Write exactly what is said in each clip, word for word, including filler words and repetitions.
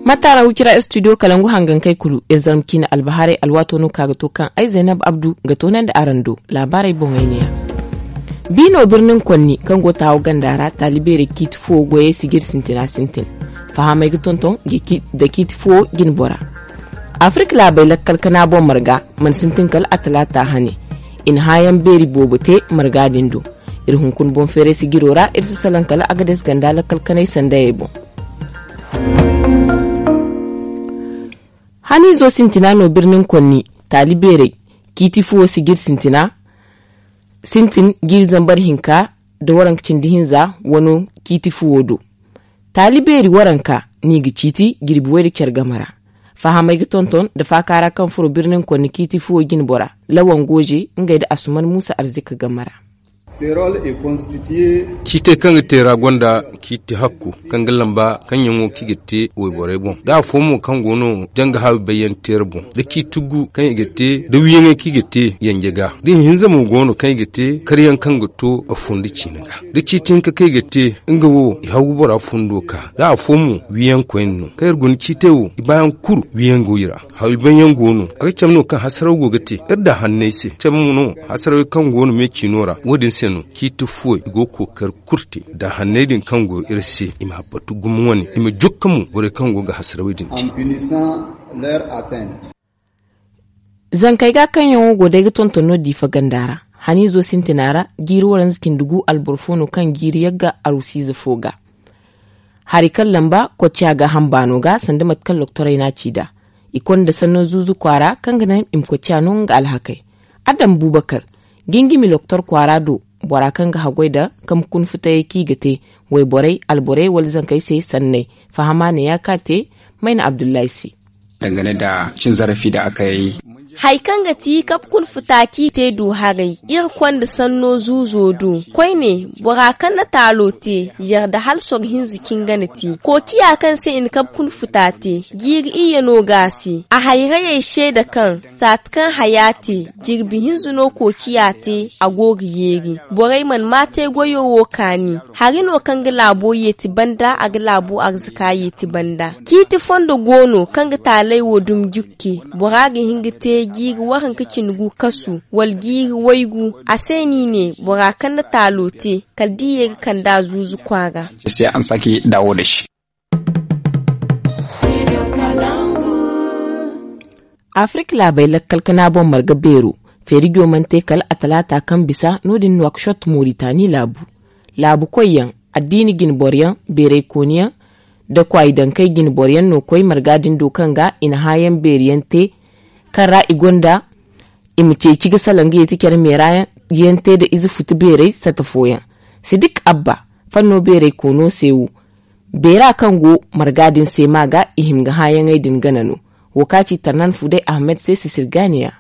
Mataara wicira studio kalangu hangankey kulu iri zarma ciine albahaarey alwaato no ka ga to kaŋ ay zaynab abdu ga toonandi araŋ do. Laabaarey boŋey neeya. Biino birnin konni kaŋ go taawo ganda ra taali beerey ciiti fuwo goyey si ga iri sintina sintin. Fahamey ga tonton nda ciiti fuwo jinbora. Afirik laabey lakkal kana boŋ marga mana sintin kala a talaata hane. I na hããyaŋ beeri boobo te marga din do. Iri hunkuna boŋ feeray sijiro ra iri si salaŋ kala agades ganda lakkal kanay sandayey boŋ. Haniizo sintina no birnin konni taali beerey ciiti fuwo sijir sintina sintin jiiri zambar hinka nda waranka cindi hinza wano ciiti fuwo do. Taali beeri waranka no i ga ciiti jirbi way nda care game ra. Fahamey ga tonton nda faaka ra kaŋ furo birnin konni ciiti fuwo jinbora lawan gooje ngey nda asuman muusa arzika game ra. Ciitey kaŋ ga te ra gonda ciiti hakku kaŋ ga lamba kaŋ yaŋo kaŋ i ga te wayborey boŋ da afo mo kaŋ go no janga haawi bayyaŋ teera boŋ da ciiti gu kaŋ i ga te da wiyaŋey kaŋ i ga te yanje ga da ihinza mo go no kaŋ i ga te karyaŋ kaŋ ga to a fondo ciine ga da ciiti hinka kaŋ i ga te nga wo i haw ga bora fondo ka da afo mo wiyaŋ koyne no kaŋ iri guna ciitey wo i baayaŋ kulu wiyaŋ go i ra. Hawi banyaŋ go no a ga cabe no kaŋ hasaraw go ga te iri da hanney se cabe mo no hasarawey kaŋ go no me ciino ra wo- din se no ciiti fuwey i go ga kookari kulu te da hanney din kaŋ go iri se i ma batu gumo wane i ma jokka mo borey kaŋ go ga hasarawey din te. Zankey ga kaŋ yaŋo go day ga tonton no diifa ganda ra haniizo sintina ra jiiri waranza cindi gu alboro fo no kaŋ jiiri yagga arusiize fo ga. Hari kaŋ lamba kocciya ga hambaano ga sanda mate kaŋ loktorey n'a ci nd'a. I konda sanno zuuzu kwaara kaŋ ga naŋ i ma kocciya no nga alhakey. Adam bubakar gingimi loktor kwaara do bora kaŋ ga haggoy nda kambe kuna futayey kaŋ i ga te wayborey alborey wala zankey se sanney. Fahama ne ya ka te mayna abdullahi se. Dangane da cin zarafi da aka yi. Hari kaŋ ga ti kabe kuna futa kaŋ i te du haray iri konda sanno zuuzo do koyne bora kaŋ na taalo te yarda hala soro hinza kaŋ ga na te kookiya kaŋ se i na kabe kuna futa te jiiri iyye no ga a se a hayrayey seeda kaŋ saati kaŋ haya te jirbi hinza no kookiya te a go ga yeeri. Borey mana ma te goyo wo kaani hari no kaŋ ga laabo yeeti banda a ga laabo arzaka yeeti banda ciiti fondo go no kaŋ ga taaley wo dumi jukke. Bora ga hin ga te jiiri waranka cindi gu kasu wala jiiri waygu a se no i ne bora kaŋ na taalo te kala da i ye ga kand'a zuuzu kwaara. Afirik laabey lakkal kana boŋ marga beero feerijo mana te kala a talaata kaŋ bisa no- din nuwakshot moritani laabu. Laabu koyyaŋ addiini jinboro yaŋ beeray kooni yaŋ nda kwaayi dankey jinboro yaŋ no koy marga din do kaŋ ga i na hããyaŋ beeri yaŋ te kaŋ ra i gonda i ma ceeci ga salaŋ ga yeeti care meera yaŋ te nda ize futu beeray sata fooyaŋ. Sidik abba fanno beeray koono se wo beera kaŋ go marga din se ma ga i hima ga hããyaŋey din gana no. Wo ka ci tarnan fuday ahmed se sisirganiya.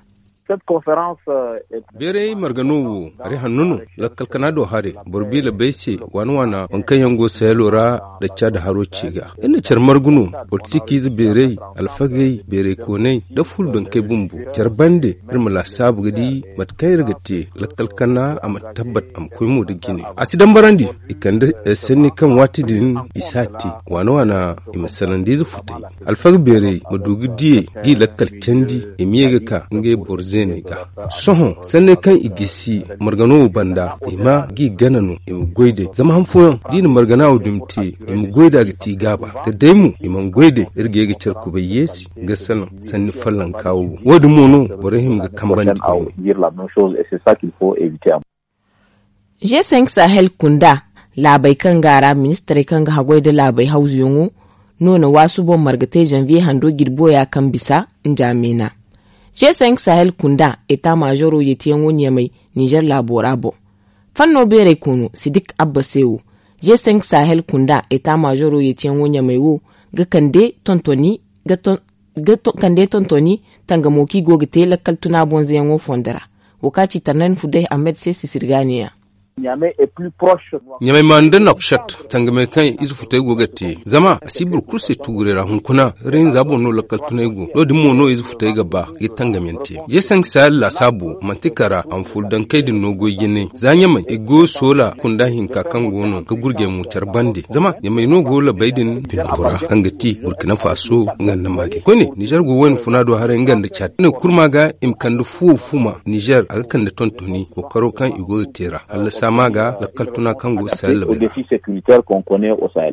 Beeray marga no wo hari hanno no lakkal kana do hare boro biila bay se waana waana waŋ kaŋ yaŋ go sayalo ra da caada haro ce ga. Iri na care margu no politikiize beeray alfagey beeray kooney nda fulu dankey bumbo care bande iri ma laasaabu ga di mate kaŋ iri ga te lakkal kana a ma tabbat a ma koy mo nda jine a si dambarandi. I kande sanni kaŋ waati din i si a te waana waana i ma sanandiize futay alfaga beeray ma du ga diyey g'i lakkal candi i ma ye ga ka ngey boro zeeney ga. Sohõ sanney kaŋ i gisi margano wo banda i ma g'i gana no i ma goy day zama han fooyaŋ d'i na margana wo dumi te i ma goy nd'a ga ti gaaba da day mo i mana goy day iri ga ye ga care kubay yeesi ga salaŋ sanni fallanka wo boŋ wo- din mo no borey hima ga kambandi. G cinq sahel kunda laabey kaŋ ga a ra ministarey kaŋ ga haggoy nda laabey hawzuyaŋo no na waasu boŋ marga te zanviye hando jirbo ya kaŋ bisa njaamena. G cinq sahel kunda eta maazoro yeetiyaŋo ɲamay nizer laabo ra boŋ. Fanno beeray koono sidik abba se wo g cinq sahel kunda eta maazoro yeetiyaŋo ɲamay wo ga kande tontoni ga kande tontoni tangamo kaŋ i go ga te lakkal tuna bonzayaŋo fondo ra. Wo kaŋ a ci tarnan fuday ahmed se sisirgaaniya. Ɲamay ma nda nokcet tangamey kaŋ ize futey go ga te zama a si boro kulu se tuguray ra hunkuna. Iri hinza boŋ no lakkal tunay go no- din mo no ize futey ga ba ga tangamyaŋ te. Jeesanka saari laasaabo manti kara a ma furo dankey din no goy jinay za ɲamay i go soola kunda hinka kaŋ go no ga gurjey mo care bande zama ɲamay no go labey din bindura kaŋ ga ti burkina faso nga nda maali koyne nizer go wayna funa do haray nga nda caati ne kurma ga i ma kande fuwo fuma nizer a ga kande tontoni kookaro kaŋ i go ga te ra hallasa ma ga lakkal tuna kaŋ go sahel labey ra.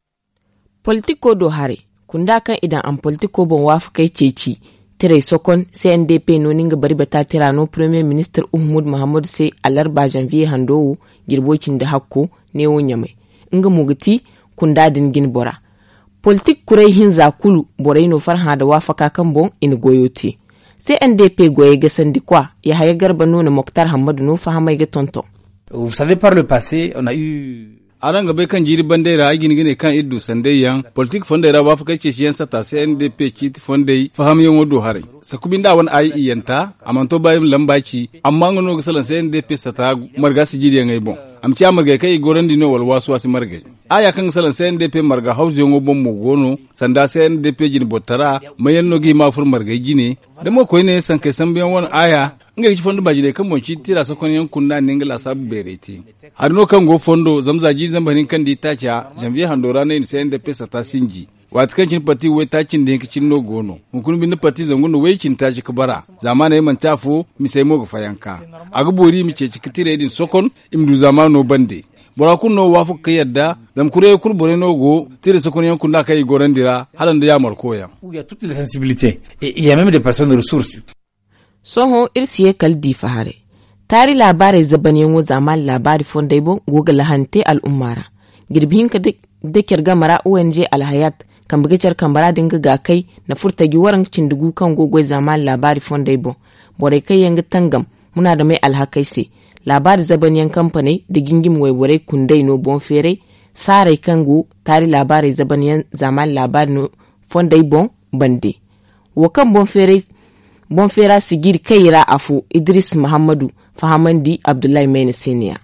Politiko do haray kunda kaŋ i daŋ a ma politiko boŋ waafakey ceeci tiray sokon cndp no ni nga bari bata tira no premier ministir uhumud muhammadu se alarba zanviye hando wo jirbo cindi hakko neewo ɲamay nga mo ga ti kunda din jine bora. Politik kuray hinza kulu borey no farhã nda waafaka kaŋ boŋ i na goyo te. Cndp goyey gasandi kwa yahaya garba no na moktar hammadu no fahamey ga tonton. Araŋ ga bay kaŋ jiiri bandey ra ay ga hin ga ne kaŋ iri du sanday yaŋ politik fondey ra waafakey ceeciyaŋ sata se n d p ciiti fondey fahamyaŋo do haray. Sakubi nda a wane ay iyanta a mana to ba iri ma lamba ci amma nga no ga salaŋ se n d p sata marga sijiriyaŋey boŋ. A ma ciya margey kaŋ i gorandi no wala waasi waasi margey. Aya kaŋ ga salaŋ se n d p marga hawzuyaŋo boŋ mo go no sanda se n d p jine bortara mayaŋ no ga hima furo margey jine. Da mo koyne sankey sambuyaŋ wane aya ngey ga ci fondo baajiney kaŋ boŋ ciiti tira sokonyaŋ kunda ne nga laasaabu beerey te. Hari no kaŋ go fondo zama za jiiri zambar hinka nda itaaca zanviye hando ra no i na se n d p sata sinji. Waati kaŋ cine parti waytaaci nda hinka cine no go no hunkuna binde parti zangu nda way cindi taaci ga bara. Zaamaaney manti afo misey mo ga fayanka. A ga boori i ma ceeci ga tirey din sokon i ma du zaamaano bande. Bora kulu no waafaka ga yadda zama kurayey kulu borey no go tira sokonyaŋ kunda kaŋ i gorandi ra hala nda yaamarkoyaŋ. Sohõ iri si ye kala diifa haray. Taari laabaarey zabanyaŋo zaamaani laabaari fondey boŋ go ga lahani te al'umma ra. Jirbi hinka da care game ra o n g alhayat kambe ga care kambe ra din ga gaakay na furo taji waranka cindi gu kaŋ go ga goy zaamaani laabaari fondey boŋ. Borey kaŋ yaŋ ga tangam munaadamey alhakey se. Laabaari zabanyaŋ kampaney nda jinjimi wayborey kundey no boŋ feeray saaray kaŋ go taari laabaarey zabanyaŋ zaamaani laabaari no fondey boŋ bande. Wo kaŋ boŋ feera sijiri kay ra afo idris muhammadu fahamandi abdullahi mayna se ne ya.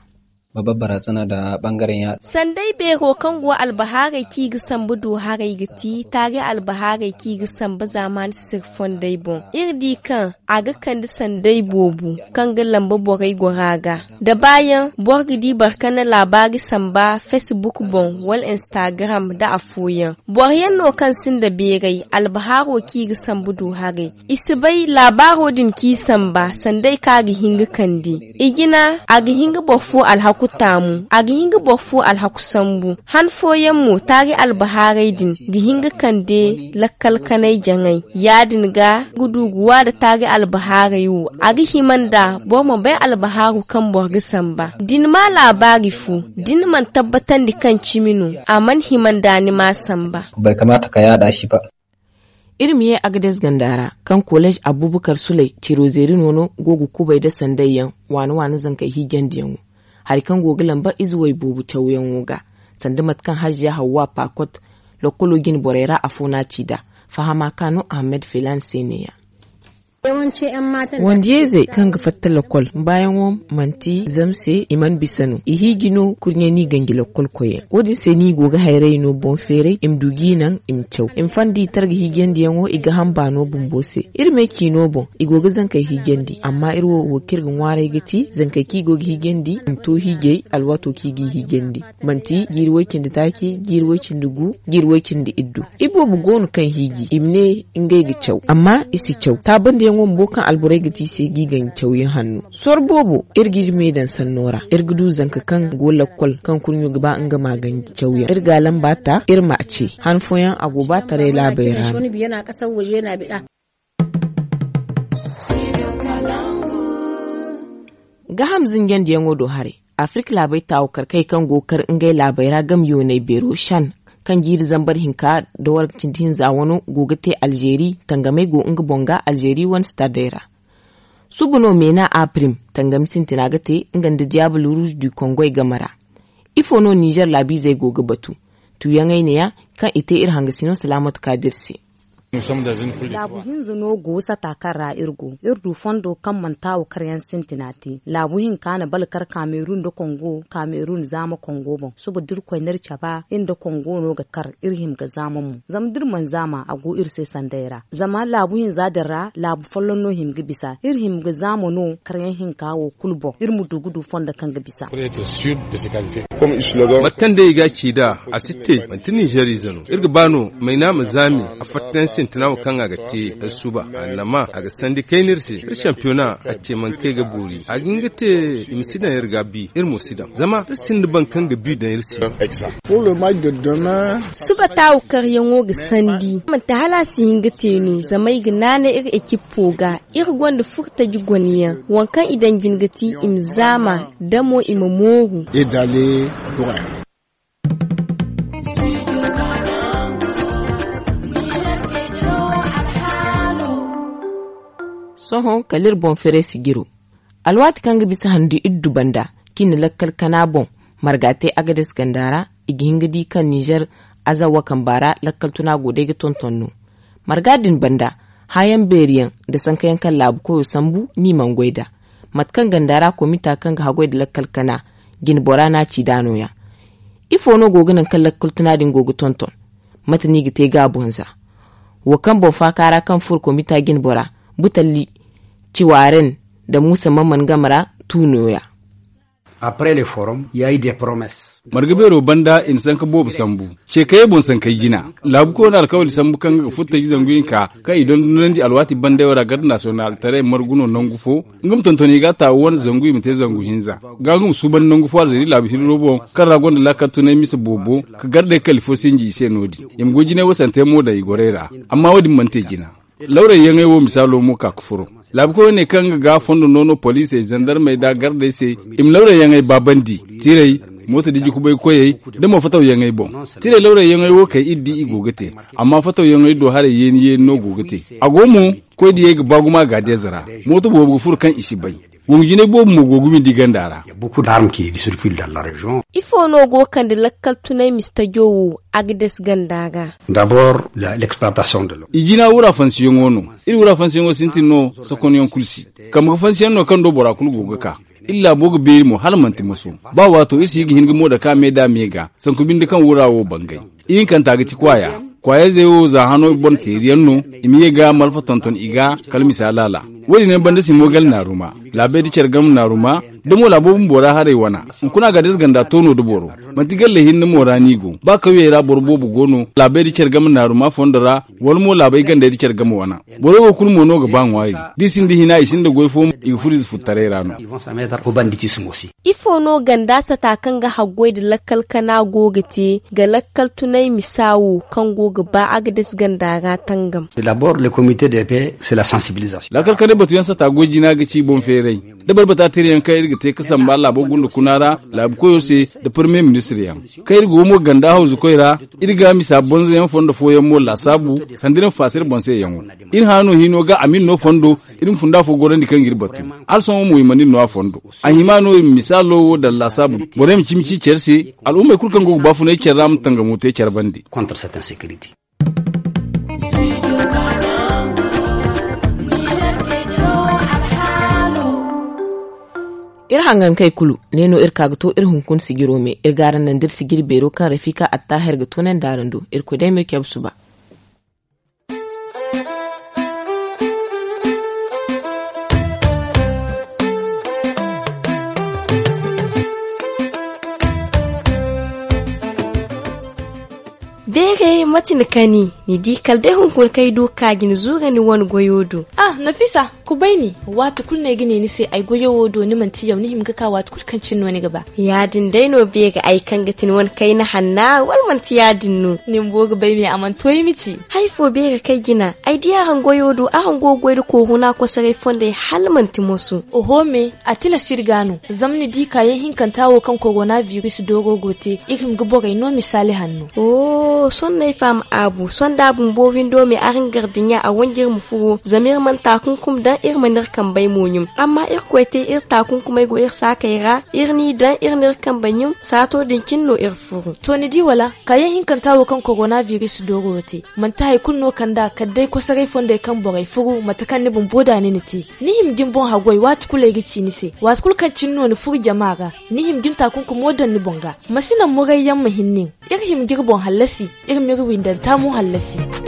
Sanday beero kaŋ go albahaarey kaŋ i ga sambu du haray ga ti taari albahaarey kaŋ i ga sambu zaamaani sisir fondey boŋ. Iri di kaŋ a ga kande sanday boobo kaŋ ga lamba borey gora ga da baayaŋ boro ga di boro kaŋ na laabaari samba facebook boŋ wala instagram nda afooyaŋ. Boro yaŋ no kaŋ sinda beeray albahaaro kaŋ i ga sambu du haray. I si bay laabaaro din kaŋ i samba sanday kaŋ a ga hin ga kande. I jina a ga hin ga boro fo alhaku taamu. A ga hin ga boro fo alhaku sambu. Han fooyaŋ mo taari albahaaray din ga hin ga kande lakkal kanay jaŋay. Ya- din ga ga duuguwa nda taari albahaaray wo a ga hima nda boro ma bay albahaaru kaŋ boro ga samba da ni ma laabaari fo da ni mana tabbatandi kaŋ cimi no a mana hima nda ni ma samba. Iri ma ye agades ganda ra kaŋ kolej abubakar suley tiro zeeri no no go ga kubay nda sanday yaŋ waani waani zankey hiijandiyaŋo. Hari kaŋ go ga lamba ize way boobo cawyaŋo ga sanda mate kaŋ hajja hawwa paakot lokkolo jine borey ra afo no a ci nd'a. Fahama ka no ahamed felan se ne- ya. Wandiyayzey kaŋ ga fatta lakkol baayaŋo manti zama se i mana bisa no i hiiji no kurɲe no i ganji lakkol koyyaŋ wo- din se no i go ga hayray no boŋ feeray i ma du g'i naŋ i ma caw i ma fandi i targa hiijandiyaŋo i ga hamba no bumbo se. Iri me ciino boŋ i go ga zankey hiijandi amma iri wo wo kaŋ iri ga ŋwaaray ga ti zankey kaŋ i go ga hiijandi i ma to hiijay alwaato kaŋ i g'i hiijandi. Manti jiiri way-cindi taaci jiiri way-cindi gu jiiri way-cindi iddu. Iboobo go no kaŋ hiiji i ma ne ngey ga caw amma i si caw taabandiyaŋo bumbo kaŋ alborey ga te i se g'i ganji cawyaŋ hanno. Soro boobo iri g'iri me daŋ sanno ra iri ga du zanka kaŋ go lakkol kaŋ kurɲo ga ba nga ma ganji cawyaŋ iri ga a lamba ta iri ma a ce. Han fooyaŋ a go ba taray laabey ra no. Gaham zinjandiyaŋo do haray. Afirka laabey taawakar kay kaŋ go ga kar ngey laabey ra game yooney beero shan kaŋ jiiri zambar hinka da warga cindi hinza wano go ga te alzeeri tangamey go nga boŋ ga alzeeri wane sitadey ra. Suba no meena a prim tangami sintina ga te nga nda diyaabul ruuz du kongoy game ra. Ifo no nizer laabiizey go ga batu? Tuuyaŋey ne- ya kaŋ i te iri hangasino salaamatu kaadir se. Laabu hinza no go sata kaŋ ra iri go. Iri du fondo kaŋ mana taawu karyaŋ sintina te. Laabu hinka na balkar kamerun nda kongo, kamerun zaama kongo boŋ. Suba da iri koy no iri caba iri nda kongo no ga kar, iri hima ga zaama mo. Zama da iri mana zaama, a go iri se sanday ra. Zama laabu hinza din ra laabu folloŋ no hima ga bisa. Iri hima ga zaama no karyaŋ hinka wo kulu boŋ, iri ma du ga du fondo kaŋ ga bisa. Mate kaŋ day i ga a ci nd'a, a si te. Manti ninzeer ize no iri ga ba no. Mayna ma zaami. A fatta yaŋ sintina wo kaŋ a ga te suba, annama a ga sandi kayna iri se. Iri sampiyona a ce mana kay ga boori. A ga hin ga te i ma si daŋ iri ga bi, iri mo si daŋ, zama iri sinda boro kaŋ ga bi daŋ iri se. Suba taawu karyaŋo ga sandi, manti hala a si hin ga te no, zama ay ga naanay iri ekippo ga. Iri gonda furtaji gone yaŋ, waŋ kaŋ i daŋ jine ga ti i ma zaama, damo i ma mooru. Sohõ kala iri boŋ feray sijiro. Alwaati kaŋ ga bisa handu iddu banda, kaŋ i na lakkal kana boŋ, marga te agades ganda ra. I ga hin ga di kaŋ ninzeer azawa kamba ra lakkal tuna go day ga tonton no. Marga din banda, hãayaŋ beeri yaŋ nda sanka yaŋ kaŋ laabu koyo sambu, ni mana goy nd'a. Mate kaŋ ganda ra komita kaŋ ga haggoy nda lakkal kana, jine bora no a ci nd'a no- ya. Ifo no go ga naŋ kaŋ lakkal tuna din go ga tonton? Mate no i ga te ga a boŋ za? Wo kaŋ boŋ faaka ra kaŋ furo komita jine bora, butalli ciwaaren nda muusa mamman game ra, tu no- ya. Marga beero banda i na sanka boobo sambu. Ce kayey boŋ sankey jina, laabu koyo na alkawali sambu kaŋ nga ga furtaji zangu hinka kaŋ i dondonandi alwaati bandey wo ra garde nasiyonal taray margu no nangu fo. Nga ma tonton i ga a taawu wane zangu i ma te zangu hinza. Ga nga ma suuban nangu fo alzeeri laabu hirro boŋ, kaŋ ra gonda laakal tunay mise boobo, ka gardey kali fo sinji i se no- din. I ma goy jinay wo sante mo daŋ i gorey ra. Amma wo- din mana te jina. Lawray yaŋey wo misaalo mo ka ga furo. Laabu koyo ne kaŋ nga ga fondo noono poliisey zandarmey nda gardey se, i ma lawray yaŋey baabandi. Tiray, mooto diji kubay koyey, nda mo fataw yaŋey boŋ. Tiray lawray yaŋey wo kay iri di i go ga te. Amma fataw yaŋey do haray yeeni yeeni no go ga te. A go mo, koy diyey ga ba gumo a ga deeza ra. Mooto boobo ga furo kaŋ i si bay. Gongu jinay boobo mo go ga windi ganda ra. Ifo no go ga kande lakkal tunay mistajo wo? Agades ganda ga. I jina wura fansiyaŋo no. Iri wura fansiyaŋo sintin no. Sokonyaŋ kulu si. Kambe ga fansiyaŋ no kaŋ do bora kulu go ga ka. Iri laabo ga beeri mo hala manti moso. Ba waato iri si ga hin ga mo dake a me da a me ga sanku binde kaŋ wura wo bangay. Ihinkanta ga ti kwaaya. Kwaayayzey wo za hano boŋ teeriyaŋ no. I ma ye ga malfa tonton i ga kala misa laala. Wo- din yaŋ banda si mo gala naaruma. Laabey da care game naaruma. Da mo laabo bumbo ra haray wana, hunkuna ga deeza ganda toono da boro. Manti galley hinne mo ra no i go. Ba kawyey ra boro boobo go no laabey da care game naaruma fondo ra, wala mo laabey gandey da care game wana. Borey wo kulu mo no ga ba ŋwaari. Da i sinda hina i sinda goy fo mo i ga furo ize futtaray ra no. Ifo no ganda sata kaŋ ga haggoy nda lakkal kana go ga te ga lakkal tunay misa wo kaŋ go ga ba agades ganda ra tangam? Lakkal kanay batuyaŋ sata goy jina ga ci boŋ feeray. Da barbata tirayaŋ kaŋ iri ga te ga samba laabo gunda kuna ra, laabu koyo se, nda parmiye ministir yaŋ kaŋ iri go mo ganda hawzu koy ra. Iri ga misa bonza yaŋ fondo fooyaŋ mo laasaabu sanda iri ma faasa iri boŋ se yaŋo. Iri hã no hino ga a ma iri no fondo. Iri ma funda fo gorandi kaŋ ga iri batu. Hala sohõ mo i mana iri no a fondo. A hima no iri ma misaalo wo daŋ laasaabu. Borey ma cimi ci care se. Al'ummey kulu kaŋ go ga baafunay care ra ma tangamo te care bande. Iri hangankey kulu ne no iri ka ga to iri hunkuna sijiro me. Iri ga araŋ naŋ da iri sijiri beero kaŋ rafika attaahir ga toonandi araŋ do. Irkoy day ma iri cabe suba. Beeray mate ni kani? Ni di kala day hunkuna kaŋ ay du ka ga ni zuura ni wane goyo do. Ah, nafisa, kubay ni. Waati kulu no ay ga ne ni se ay goyo wo do ni manti yaw ni hima ga ka waati kulu kaŋ cine no ni ga ba. Ya- din day no beeray ay kaŋ ga ti ni wane kayna hanna wala manti ya- din no? Ni bumbo ga bay me a mana to ay ma ci. Hari fo beeray kaŋ ay jina ay di araŋ goyo do araŋ go ga goy nda koohuna kosoray fondey hala manti moso. Oho me, a tilas iri ga no. Zama ni di kaayaŋ hinkanta wo kaŋ korona biris dooro go te iri hima ga borey no misaali hanno. Oho sohõ no ay. A ma aabu sonda bumbo windo me araŋ gardiɲa a wanj'iri ma furo zama iri mana taakunkum daŋ iri mana iri kambey mo ɲum. Amma irkoy te iri taakunkumey go iri saakey ra. Iri n'i daŋ iri n'iri kambey ɲum saato din cine no iri furu. To ni di wala? Kaayaŋ hinkanta wo kaŋ korona biris dooro wo te manti hari kulu no kand'a kala day kosoray fondey kaŋ borey furu mate kaŋ ni bumbo da ni na te. Ni hima ga ni boŋ haggoy waati kulu ay ga ci ni se waati kulu kaŋ cine no ni furu jama ra. Ni hima ga ni taakunkumo daŋ ni boŋ ga. Ma si naŋ murayyaŋ ma hin nin. Iri hima ga iri boŋ hallasi. Iri m'iri windanta mo hallasi.